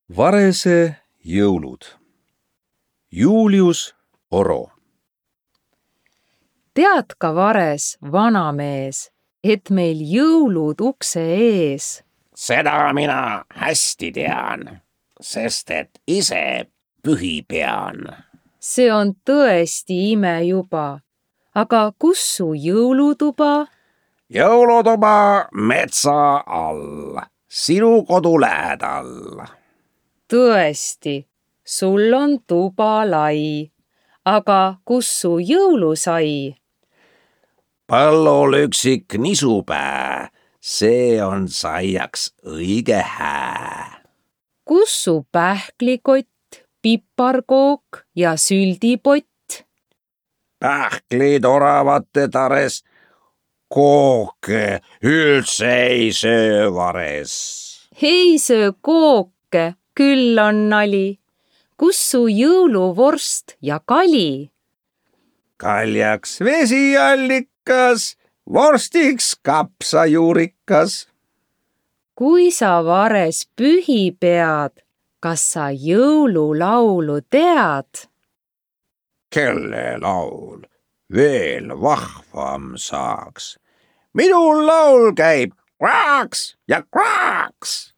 Varese jõulud. Julius Oro. Tead ka, Vares, vanamees, et meil jõulud ukse ees. Seda mina hästi tean, sest et ise pühi pean. See on tõesti ime juba. Aga kus su jõulutuba? Jõulutuba metsa all, sinu kodu lähedal. Tõesti, sul on tuba lai. Aga kus su jõulusai? Põllul üksik nisupää, see on saiaks õige hää. Kus su pähklikott, piparkook ja süldipott? Pähklid oravate tares, kooke üldse ei söö Vares. Ei söö kooke, küll on nali. Kus su jõuluvorst ja kali? Kaljaks vesiallikas, vorstiks kapsajuurikas. Kui sa, Vares, pühi pead, kas sa jõululaulu tead? Kelle laul veel vahvam saaks? Minu laul käib kraaks ja kraaks.